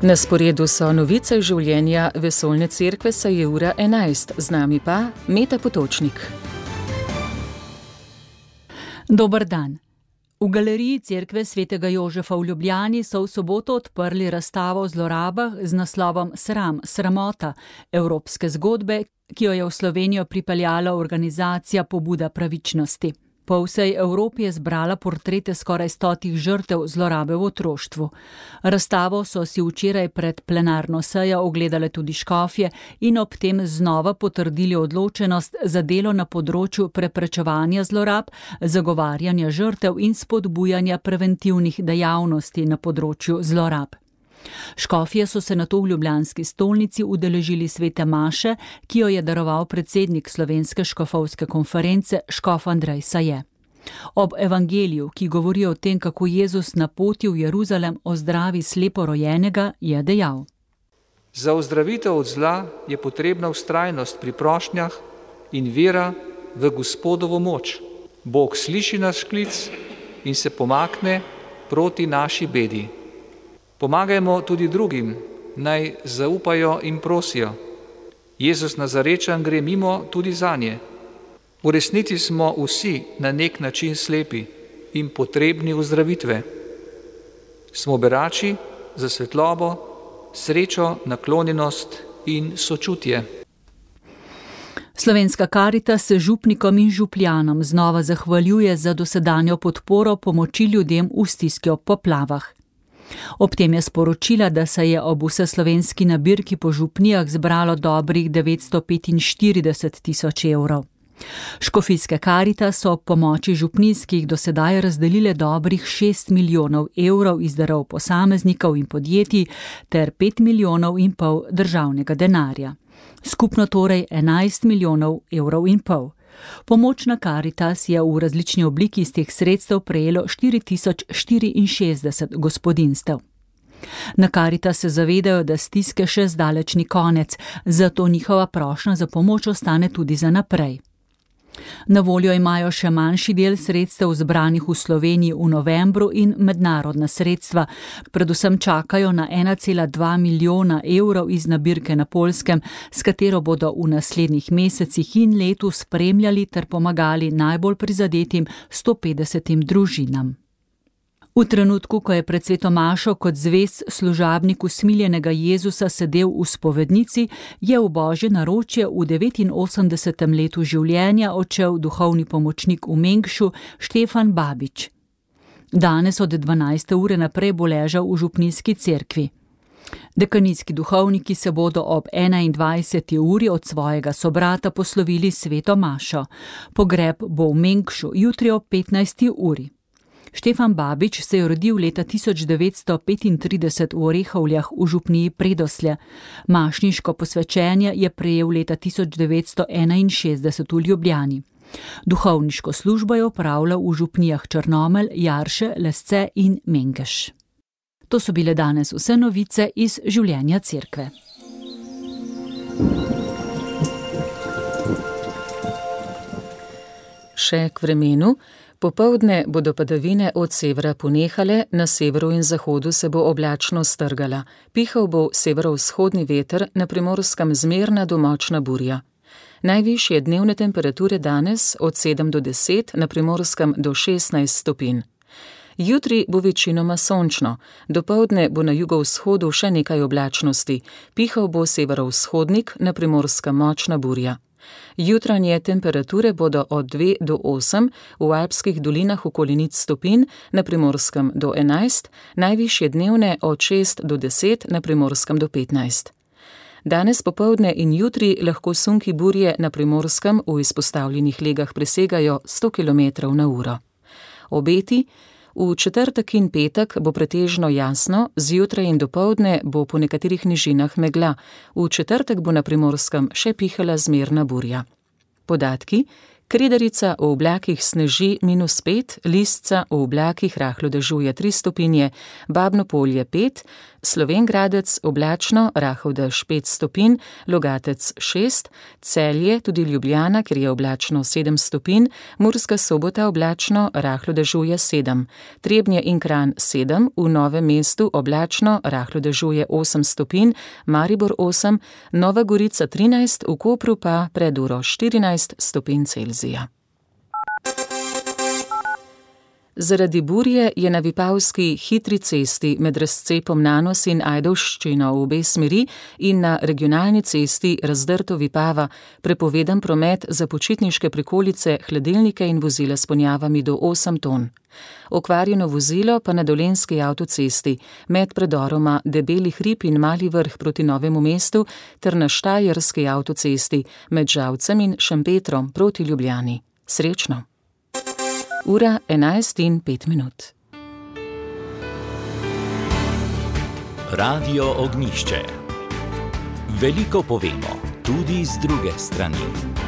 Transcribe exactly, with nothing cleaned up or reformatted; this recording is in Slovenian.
Na sporedu so novice življenja Vesoljne cerkve, saj je ura enajst, z nami pa Meta Potočnik. Dober dan. V galeriji Cerkve svetega Jožefa v Ljubljani so v soboto odprli razstavo o zlorabah z naslovom Sram, sramota, evropske zgodbe, ki jo je v Slovenijo pripeljala organizacija Pobuda pravičnosti. Po vsej Evropi je zbrala portrete skoraj stotih žrtev zlorabe v otroštvu. Razstavo so si včeraj pred plenarno sejo ogledale tudi škofje in ob tem znova potrdili odločenost za delo na področju preprečevanja zlorab, zagovarjanja žrtev in spodbujanja preventivnih dejavnosti na področju zlorab. Škofje so se nato v ljubljanski stolnici udeležili svete maše, ki jo je daroval predsednik Slovenske škofovske konference škof Andrej Saje. Ob evangeliju, ki govori o tem, kako Jezus na poti v Jeruzalem ozdravi sleporojenega, je dejal: Za ozdravitev od zla je potrebna vztrajnost pri prošnjah in vera v Gospodovo moč. Bog sliši naš klic in se pomakne proti naši bedi. Pomagajmo tudi drugim, naj zaupajo in prosijo. Jezus Nazarečan gre mimo tudi zanje. V resnici smo vsi na nek način slepi in potrebni ozdravitve. Smo berači za svetlobo, srečo, naklonjenost in sočutje. Slovenska Karitas se župnikom in župljanom znova zahvaljuje za dosedanjo podporo pomoči ljudem v stiski ob poplavah. Ob tem je sporočila, da se je ob vseslovenski nabirki po župnijah zbralo dobrih devetsto petinštirideset tisoč evrov. Škofijske Karitas so ob pomoči župnijskih do sedaj razdelile dobrih šest milijonov evrov iz darov posameznikov in podjetij ter pet milijonov in pol državnega denarja. Skupno torej enajst milijonov evrov in pol. Pomoč na Karitas je v različni obliki iz teh sredstev prejelo štiri tisoč štiriinšestdeset gospodinjstev. Na Karitas se zavedajo, da stiske še zdaleč ni konec, zato njihova prošnja za pomoč ostane tudi za naprej. Na voljo imajo še manjši del sredstev zbranih v Sloveniji v novembru in mednarodna sredstva. Predvsem čakajo na ena cela dva milijona evrov iz nabirke na Poljskem, s katero bodo v naslednjih mesecih in letu spremljali ter pomagali najbolj prizadetim sto petdesetim družinam. V trenutku, ko je pred sveto mašo kot zvest služabnik usmiljenega Jezusa sedel v spovednici, je v božje naročje v devetinosemdesetem letu življenja odšel duhovni pomočnik v Mengšu Štefan Babič. Danes od dvanajste ure naprej bo ležal v župnijski cerkvi. Dekanijski duhovniki se bodo ob enaindvajseti uri od svojega sobrata poslovili sveto mašo. Pogreb bo v Mengšu jutri ob petnajsti uri. Štefan Babič se je rodil leta tisoč devetsto petintrideset v Orehovljah v župniji Predoslje. Mašniško posvečenje je prejel leta tisoč devetsto enainšestdeset v Ljubljani. Duhovniško službo je opravljal v župnijah Črnomelj, Jarše, Lesce in Mengeš. To so bile danes vse novice iz življenja cerkve. Še k vremenu. Popoldne bodo padavine od severa ponehale, na severu in zahodu se bo oblačno strgala. Pihal bo severovzhodni veter, na Primorskem zmerna do močna burja. Najvišje dnevne temperature danes od sedem do deset, na Primorskem do šestnajst stopinj. Jutri bo večinoma sončno, dopoldne bo na jugovzhodu še nekaj oblačnosti. Pihal bo severovzhodnik, na Primorskem močna burja. Jutranje temperature bodo od dve do osem, v alpskih dolinah okoli nič stopinj, na Primorskem do enajst, najvišje dnevne od šest do deset, na Primorskem do petnajst. Danes popoldne in jutri lahko sunki burje na Primorskem v izpostavljenih legah presegajo sto kilometrov na uro. Obeti: v četrtek in petek bo pretežno jasno, zjutraj in dopoldne bo po nekaterih nižinah megla. V četrtek bo na Primorskem še pihala zmerna burja. Podatki: Kredarica v oblakih sneži minus pet, Listca v oblakih rahlo dežuje tri stopinje, Babno Polje pet, Slovenj Gradec oblačno, rahel dež pet stopinj, Logatec šest, Celje, tudi Ljubljana, kjer je oblačno sedem stopinj, Murska Sobota oblačno, rahlo dežuje sedem, Trebnje in Kranj sedem, v Novem mestu oblačno, rahlo dežuje osem stopinj, Maribor osem, Nova Gorica trinajst, v Kopru pa pred uro štirinajst stopinj Celzija. Zaradi burje je na Vipavski hitri cesti med razcepom Nanos in Ajdovščino v obe smeri in na regionalni cesti Razdrto Vipava prepovedan promet za počitniške prikolice, hladilnike in vozila s ponjavami do osem ton. Okvarjeno vozilo pa na Dolenjski avtocesti med predoroma Debeli hrib in Mali Vrh proti Novemu mestu ter na Štajerski avtocesti med Žalcem in Šempetrom proti Ljubljani. Srečno! Ura enajst in pet minut. Radio Ognjišče. Veliko povemo, tudi z druge strani.